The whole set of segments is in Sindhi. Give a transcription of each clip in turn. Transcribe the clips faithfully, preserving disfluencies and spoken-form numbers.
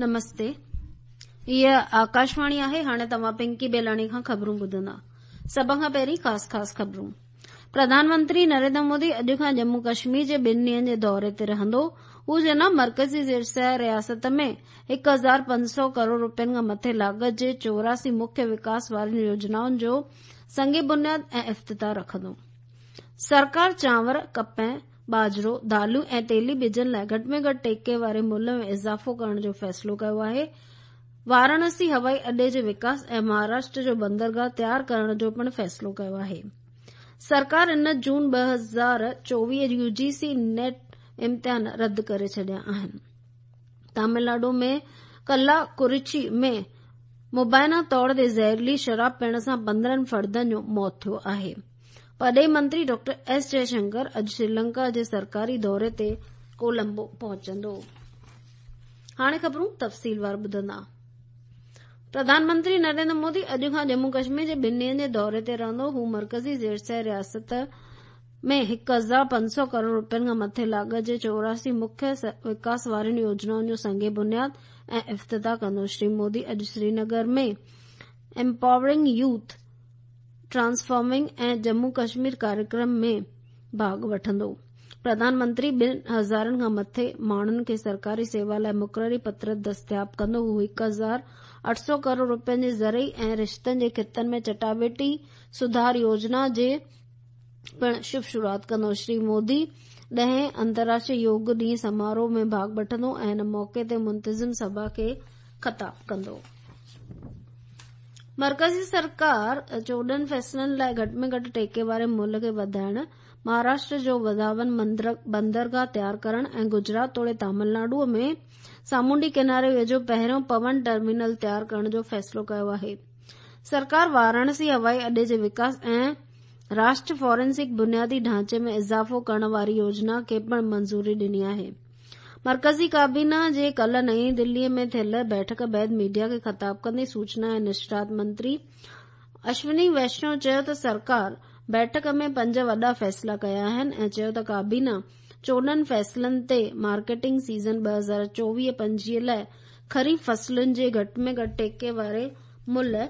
نمستي، هيء آڪاشواڻي آهي. هاڻي توهان پنڪي بيلاڻي کان خبرون ٻڌندا. سڀ کان پهرين خاص خاص خبرون. پرڌان منتري نريندر مودي اڄ کان ڄمون ڪشمير جي ٻن ڏينهن جي دوري تي رهندو. هو جناح مرڪزي زير رياست ۾ هڪ هزار پنج سؤ ڪروڙ رپين کان مٿي لاڳت جي چوراسي مکيه وڪاس وارين يوجنائن جو سنگ بنياد ۽ افتتاح رکندو. سرڪار چانور، ڪپهه، ٻاجهرو، داليون ۽ تيلي ٻجن لاءِ گهٽ ۾ گهٽ ٽيڪي واري ملهه ۾ اضافو ڪرڻ جو فيصلو ڪيو آهي. واراڻسي هوائي اڏي جي وڪاس ۽ مهاراشٽر جو بندرگاهه تيار ڪرڻ جو پڻ فيصلو ڪيو آهي. سرڪار ان جون ٻه هزار چوويهه يو جي سي نيٽ امتحان رد ڪري ڇڏيا آهن. تامل ناڊو ۾ ڪلاڪورچي ۾ مبينا طور تي زهريلي شراب پيئڻ سان پندرهن فردن جو موت ٿيو آهي. پرڏيهي منتري ڊاڪٽر ايس جئشنڪر اڄ سريلنڪا جي سرڪاري دوري تي ڪولمبو پهچندو. هاڻي خبرون تفصيلوار ٻڌندا. پرڌان منتري نريندر مودي اڄ کان ڄمون ڪشمير جي ٻن ڏينهن جي دوري تي رهندو. هو مرڪزي زير رياست ۾ هڪ هزار پنج سؤ ڪروڙ رپين کان مٿي لاڳت جي چوراسي مکيه وڪاس وارين يوجنائن جو سنگ بنياد ۽ افتتاح ڪندو. شري مودي اڄ Srinagar ۾ empowering youth, transforming ۽ Jammu Kashmir ڪاريڪرم ۾ ڀاڳ وٺندو. پرڌان منتري ٻن هزارن کان مٿي ماڻهن کي سرڪاري سيوا لاءِ مقرري پتر دستياب ڪندو. هو هڪ هزار اٺ سؤ ڪروڙ رپين جي زرعي ۽ رشتن جي خطن ۾ چٽاڀيٽي سڌار يوجنا جي پڻ شڀ شروعات ڪندو. شري مودي ڏهين انترراشٽريه يوگ ڏينهن سماروهه ۾ ڀاڳ وٺندو ۽ ان موقعي تي منتظم سڀا کي خطاب ڪندو. مرڪزي سرڪار چوڏهن فيصلن لاءِ گهٽ ۾ گهٽ ٽيڪي واري ملهه کي وڌائڻ، مهاراشٽر جو وڌاون بندرگاهه تيار ڪرڻ ۽ گجرات توڙي تامل ناڊوءَ ۾ سامونڊي ڪناري ويجهو پهريون پون ٽرمينل تيار ڪرڻ جو فيصلو ڪيو آهي. سرڪار واراڻسي هوائي اڏي جي وڪاس ۽ راشٽر فورينسڪ بنيادي ڍانچي ۾ اضافو ڪرڻ واري يوجنا کي پڻ منظوري ڏني آهي. مرڪزي ڪابينا جي ڪالهه نئين دليءَ ۾ ٿيل بيٺڪ بعد ميڊيا کي خطاب ڪندي سوچنا ۽ نشرات منتري اشوني ويشنو چيو ته سرڪار بيٺڪ ۾ پنج وڏا فيصلا ڪيا آهن ۽ چيو ته ڪابينا چوڏهن فيصلن تي مارڪيٽنگ سيزن ٻه هزار چوويهه پنجويهه لاءِ خريف فصلن جي گهٽ ۾ گهٽ ٽيڪي واري ملهه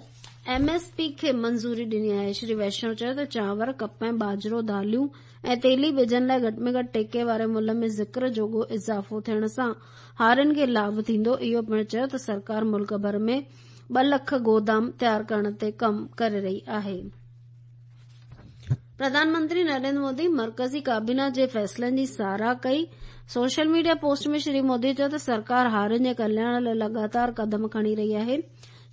ايم ايس پي کي منظوري ڏني آهي. شري ويشنو چيو ته چانور، ڪپهه، ٻاجهرو، داليون ۽ تيلي ٻجن لاءِ گهٽ ۾ گهٽ ٽيڪي واري ملهه ۾ ذڪر جوڳو اضافو ٿيڻ سان هارين کي لاڀ ٿيندو. اهو پڻ چيو ته سرڪار ملڪ ڀر ۾ ٻه لک گودام تيار ڪرڻ تي ڪم ڪري رهي آهي. پرڌان منتري نريندر مودي مرڪزي ڪابينا جي فيصلن جي ساراهه ڪئي. Social media post ۾ Shri Modi چيو ته سرڪار هارين جي ڪلياڻ لاءِ لڳاتار قدم کڻي رهي آهي.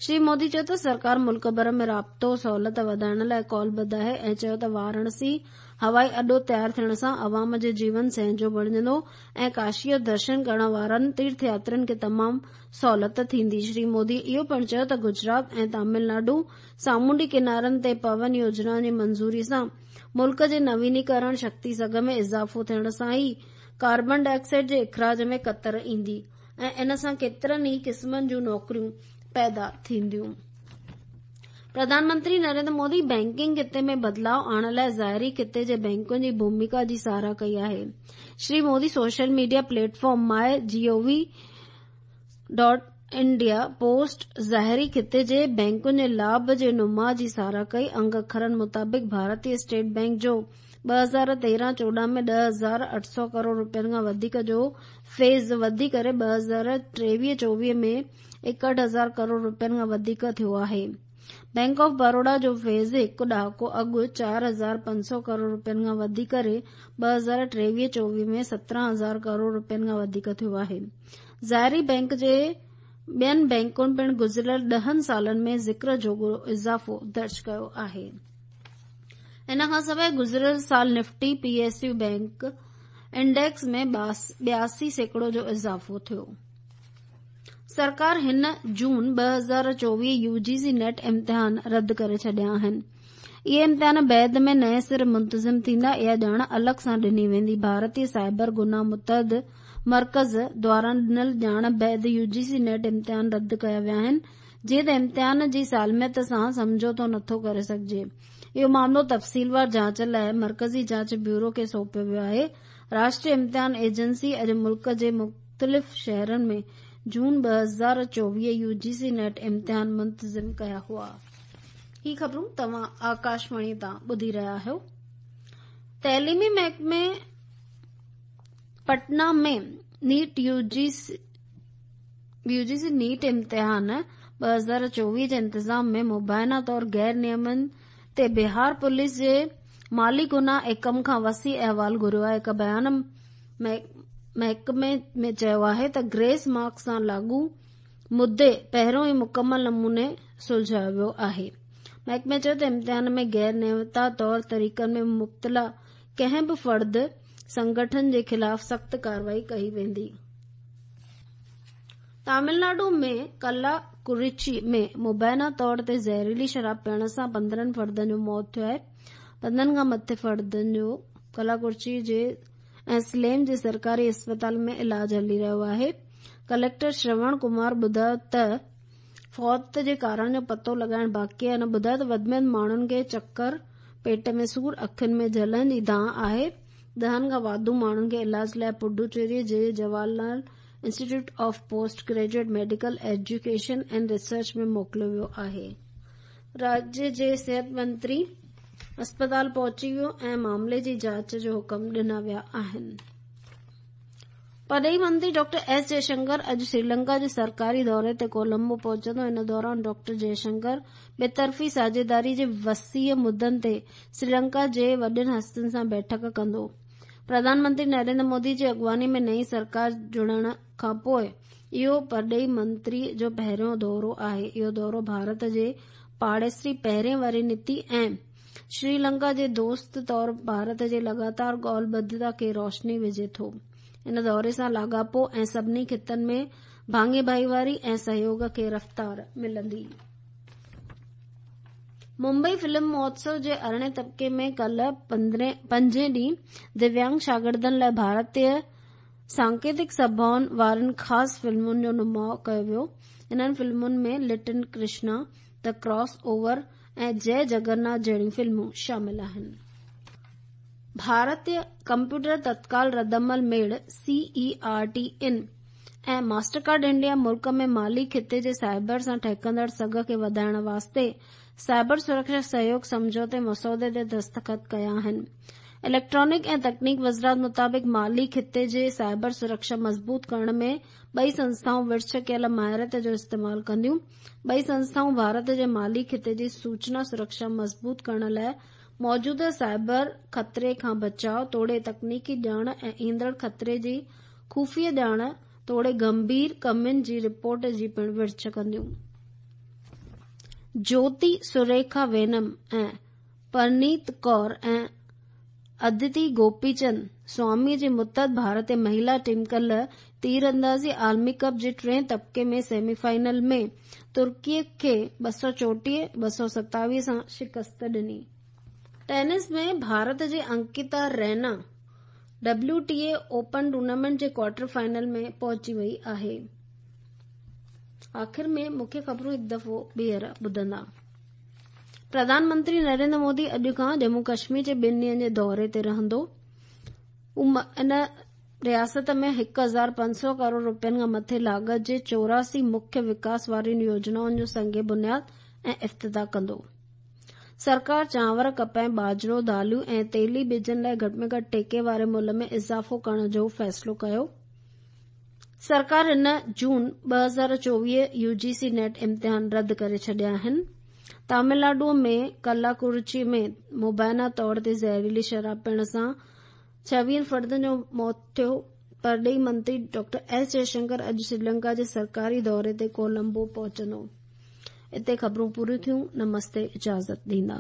شري مودي چيو ته سرڪار ملڪ ڀر ۾ رابطو سهولت وڌائڻ لاءِ ڪالبڌ آهي ۽ چيو ته واراڻسي هوائي اڏو تيار ٿيڻ سان عوام جو جيون سهنجو بڻجندو ۽ ڪاشيءَ جو درشن ڪرڻ وارن تيرٿ ياترين کي تمام سهولت ٿيندي. شري مودي اهو پڻ چيو ته گجرات ۽ تامل ناڊو سامونڊي ڪنارن تي پون يوجنا جي منظوري سان ملڪ جي نوينيڪرڻ شڪتي سگهه ۾ اضافو ٿيڻ سان ئي ڪاربان ڊاءِ آڪسائيڊ جي اخراج ۾ ڪتر ايندي ۽ ان سان ڪيترن ئي قسمن جون نوڪريون پيدا ٿينديون. پرڌان منتري نريندر مودي بينڪنگ خطي ۾ بدلاءُ آڻڻ لاءِ ظاهري خطي جي بينڪن جي ڀوميڪا جي ساراهه ڪئي آهي. Shri Modi social media platform my G O V dot India post ظاهري خطي جي بينڪن جي لاڀ جي نماءُ جي ساراهه ڪئي. انگ اکرن مطابق ڀارتيه اسٽيٽ بينڪ جو ٻه هزار تيرهن چوڏهن ۾ ڏهه هزار اٺ سؤ ڪروڙ رپين کان وڌيڪ جو فيض وڌي ڪري ٻه هزار ٽيويهه چوويهه ۾ ايڪهٺ هزار ڪروڙ رپين کان وڌيڪ ٿيو آهي. بينڪ آف بڙودا جو فيض هڪ ڏهاڪو اڳ چار هزار پنج سؤ ڪروڙ رپين کان وڌي ڪري ٻه هزار ٽيويهه چوويهه ۾ سترهن هزار ڪروڙ رپين کان وڌيڪ ٿيو آهي. ظاهري بينڪ جي ٻين بينڪن پڻ گذريل ڏهن سالن ۾ ذڪر جوڳو اضافو درج ڪيو آهي. ان کان سواءِ گذريل سال Nifty P S U bank index ۾ ٻياسي سيڪڙو جو اضافو ٿيو. سرڪار هن جون ٻه هزار چوويهه يو جي سي نيٽ امتحان رد ڪري ڇڏيا آهن. اهي امتحان بعد ۾ نئين سر منتظم ٿيندا. اها ڄاڻ الڳ سان ڏني ويندي. ڀارتيه سائبر گناهه متحد مرڪز دواران ڏنل ڄاڻ بعد يو جي سي نيٽ امتحان رد ڪيا ويا آهن، جيئن ته امتحان جي سالميت سان سمجهوتو نٿو ڪري سگهجي. اهو معاملو تفصيلوار جاچ لاءِ مرڪزي جاچ بيورو کي سونپيو ويو آهي. راشٽريه امتحان ايجنسي اڄ ملڪ جي مختلف شهرن ۾ जून ॿ हज़ार चोवीह यूजीसी नेट इम्तिहान मुंतज़िम कया हुआ। ही ख़बरूं तव्हां आकाशवाणी तां ॿुधी रहिया आहियो। तइलीमी महकमे पटना में नीट यूजीसी यूजीसी नीट इम्तिहान ॿ हज़ार चोवीह जे इंतज़ाम में मुबैना तौर गैर नियमनि ते बिहार पुलिस जे माली गुनाह एकम खां वसी अहवाल घुरियो आहे। हिकु बयान महकमे में चयो आहे त ग्रेस मार्क सां लागू मुद्दे पहिरियों ई मुकमल नमूने सुलझायो वियो आहे। महकमे चयो त इम्तिहान में गैर नियमिता तौर तरीक़नि में मुब्तला कंहिं बि फर्द संगठन जे ख़िलाफ़ सख़्त कार्रवाई कई वेंदी। तमिलनाडु में कल्लाकुरिची में मुबैना तौर ते ज़हरीली शराब पीअण सां पंद्रहं फर्दनि जो मौत थियो आहे। पंद्रहं खां मथे फर्दनि जो कल्लाकुरिची जे ऐं सलेम जे सरकारी अस्पताल में इलाज हली रहियो आहे। कलेक्टर श्रवण कुमार ॿुधायो त फौत जे कारण जो पतो लॻाइण बाक़ी आहे। हिन ॿुधायो त वधि में वधि माण्हुनि खे चकर, पेट में सूर, अखियुनि में जलन जी दांह आहे। ॾहनि खां वाधू माण्हुनि खे इलाज लाइ पुडुचेरी जे Jawaharlal institute of post graduate medical education and research में मोकिलियो वियो आहे। राज्य जे सिहत मंत्री अस्पताल पहुची वियो ऐं मामले जी जांच जो हुक्म ॾिना विया आहिनि। परॾेही मंत्री डॉक्टर एस जयशंकर अॼु श्रीलंका जे सरकारी दौरे ते कोलंबो पहुचंदो। इन दौरान डॉक्टर जयशंकर ॿितरफ़ी साझेदारी जे वसीअ मुद्दनि ते श्रीलंका जे वॾनि हस्तियुनि सां बैठक कंदो। प्रधानमंत्री नरेंद्र मोदी जी अॻुवानी में नई सरकार जुड़ण खां पोइ इहो परॾेही मंत्री जो पहिरियों दौरो आहे। इहो दौरो भारत जे पाड़ेसरी पहिरें वारी नीति ऐं श्रीलंका जे दोस्त तौर भारत जे लगातार ॻाल्हिबद्धता खे रोशनी विझे थो। इन दौरे सां लाॻापो ऐं सभिनी ख़ितनि में भाङे भाईवारी ऐं सहयोग खे रफ़्तार मिलंदी। मुंबई फिल्म महोत्सव जे अरिड़हें तबिके में कल्ह पंजें ॾींहुं दिव्यांग शागिर्दनि लाइ भारतीय सांकेतिक सभाउनि वारनि ख़ासि फिल्मुनि जो नुमाउ कयो वियो। इन्हनि फिल्मुनि में little Krishna, the cross over ऐं जय जगन्नाथ जहिड़ियूं फिल्मूं शामिल आहिनि। भारतीय कंप्यूटर तत्काल रद्दमल मेड़ C E R T in ऐं मास्टरकार्ड इंडिया मुल्क में माली ख़िते जे साइबर सां ठहकंदड़ सघ खे वधाइण वास्ते साइबर सुरक्षा सहयोग सम्झौते मसौदे ते दस्तख़त कया आहिनि। इलेक्ट्रॉनिक ऐं तकनीक वज़ारत मुताबिक़ माली ख़िते जे साइबर सुरक्षा मज़बूत करण में ॿई संस्थाऊं विर्छ कयल माहिरत जो इस्तेमालु कंदियूं। ॿई संस्थाऊं भारत जे माली ख़िते जी सूचना सुरक्षा मज़बूत करण लाइ मौजूदा साइबर ख़तरे खां बचाव तोड़े तकनीकी ॼाण ऐं ईंदड़ ख़तरे जी ख़ुफ़िया ॼाण तोड़े गंभीर कमियुनि जी रिपोर्ट जी पिणु विर्छ कंदियूं। ज्योति सुरेखा वेनम ऐं परनीत कौर ऐं अदिति गोपीचंद स्वामी जे मुतहद भारतीय महिला टीम कल्ह तीरअंदाज़ी आलमी कप जे टिएं तबिके में सेमीफाइनल में तुर्कीअ खे ॿ सौ चोटीह ॿ सौ सतावीह सां शिकस्त ॾिनी। टेनिस में भारत जे Ankita Raina W T A open tournament J quarter final में पहुची वई आहे। आख़िर में मुख्य ख़बरूं हिकु दफ़ो ॿीहर ॿुधंदा। प्रधानमंत्री नरेंद्र मोदी अॼु खां जम्मू कश्मीर जे ॿिनि ॾींहंनि जे दौरे ते रहंदो। इन रियासत में हिकु हज़ार पंज सौ करोड़ रुपयनि खां मथे लागत जे चौरासी मुख्य विकास वारियुनि योजनाउनि जो संग बुनियाद ऐं इफ़्तिताह कंदो। सरकार चांवर, कपह, बाजरो, दालियूं ऐं तेली ॿिजनि लाइ घटि में घटि टेके वारे मुल्ह में इज़ाफ़ो करण जो फ़ैसिलो कयो। सरकार हिन जून ॿ हज़ार चोवीह यूजीसी नेट इम्तिहान रद्द करे छॾिया आहिनि। तमिलनाडु में कल्लाकुरिची में मुबैना तौर ते ज़हरीली शराब पीअण सां छवीहनि फर्दनि जो मौत थियो। परॾेही मंत्री डॉक्टर एस जयशंकर अॼु श्रीलंका जे सरकारी दौरे ते कोलंबो पहुचंदो। हिते ख़बरूं पूरियूं थियूं। नमस्ते, इजाज़त ॾींदा।